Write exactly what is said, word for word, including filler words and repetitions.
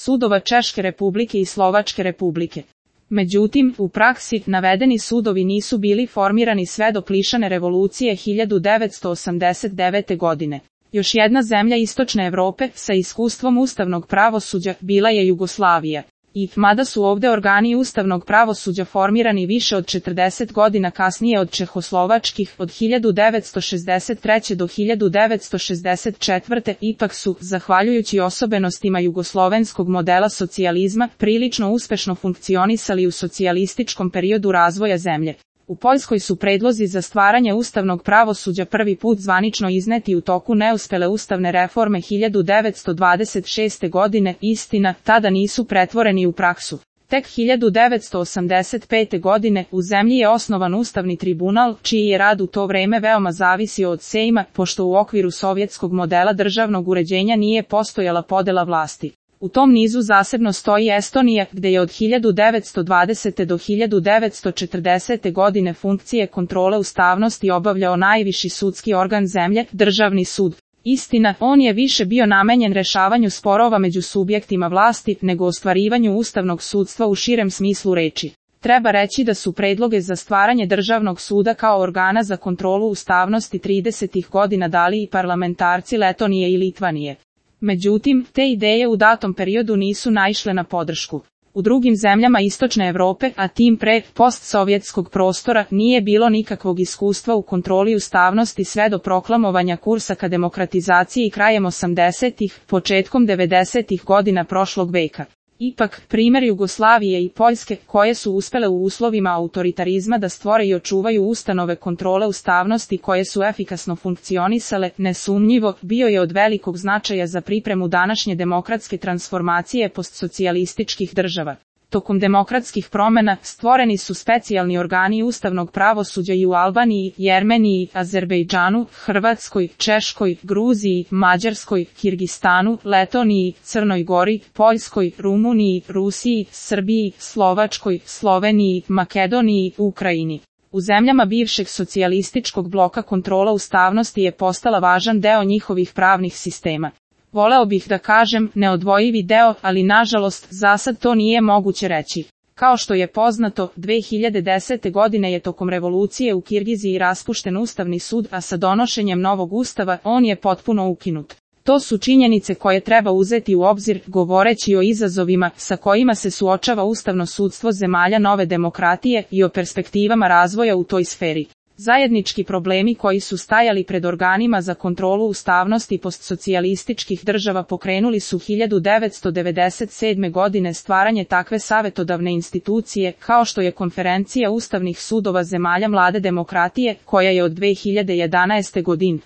sudova Češke republike i Slovačke republike. Međutim, u praksi, navedeni sudovi nisu bili formirani sve do Plišane revolucije hiljadu devetsto osamdeset devete. godine. Još jedna zemlja istočne Evrope sa iskustvom ustavnog pravosuđa bila je Jugoslavija. I, mada su ovde organi ustavnog pravosuđa formirani više od četrdeset godina kasnije od čehoslovačkih, od hiljadu devetsto šezdeset treće. do hiljadu devetsto šezdeset četvrte. ipak su, zahvaljujući osobenostima jugoslovenskog modela socijalizma, prilično uspešno funkcionisali u socijalističkom periodu razvoja zemlje. U Poljskoj su predlozi za stvaranje ustavnog pravosuđa prvi put zvanično izneti u toku neuspele ustavne reforme hiljadu devetsto dvadeset šeste. godine, istina, tada nisu pretvoreni u praksu. Tek hiljadu devetsto osamdeset pete. godine u zemlji je osnovan Ustavni tribunal, čiji je rad u to vreme veoma zavisio od Sejma, pošto u okviru sovjetskog modela državnog uređenja nije postojala podela vlasti. U tom nizu zasebno stoji Estonija, gde je od hiljadu devetsto dvadesete. do hiljadu devetsto četrdesete. godine funkcije kontrole ustavnosti obavljao najviši sudski organ zemlje, Državni sud. Istina, on je više bio namenjen rešavanju sporova među subjektima vlasti, nego ostvarivanju ustavnog sudstva u širem smislu reči. Treba reći da su predloge za stvaranje Državnog suda kao organa za kontrolu ustavnosti tridesetih godina dali i parlamentarci Letonije i Litvanije. Međutim, te ideje u datom periodu nisu naišle na podršku. U drugim zemljama istočne Evrope, a tim pre postsovjetskog prostora, nije bilo nikakvog iskustva u kontroli ustavnosti sve do proklamovanja kursa ka demokratizaciji krajem osamdesetih, početkom devedesetih godina prošlog veka. Ipak, primer Jugoslavije i Poljske, koje su uspele u uslovima autoritarizma da stvore i očuvaju ustanove kontrole ustavnosti koje su efikasno funkcionisale, nesumnjivo, bio je od velikog značaja za pripremu današnje demokratske transformacije postsocijalističkih država. Tokom demokratskih promena stvoreni su specijalni organi ustavnog pravosuđa i u Albaniji, Jermeniji, Azerbejdžanu, Hrvatskoj, Češkoj, Gruziji, Mađarskoj, Kirgistanu, Letoniji, Crnoj Gori, Poljskoj, Rumuniji, Rusiji, Srbiji, Slovačkoj, Sloveniji, Makedoniji, Ukrajini. U zemljama bivšeg socijalističkog bloka kontrola ustavnosti je postala važan deo njihovih pravnih sistema. Voleo bih da kažem, neodvojivi deo, ali nažalost, zasad to nije moguće reći. Kao što je poznato, dve hiljade desete. godine je tokom revolucije u Kirgiziji raspušten Ustavni sud, a sa donošenjem novog ustava, on je potpuno ukinut. To su činjenice koje treba uzeti u obzir, govoreći o izazovima sa kojima se suočava ustavno sudstvo zemalja nove demokratije i o perspektivama razvoja u toj sferi. Zajednički problemi koji su stajali pred organima za kontrolu ustavnosti postsocijalističkih država pokrenuli su hiljadu devetsto devedeset sedme. godine stvaranje takve savetodavne institucije, kao što je Konferencija ustavnih sudova zemalja mlade demokratije, koja je od dve hiljade jedanaeste. godine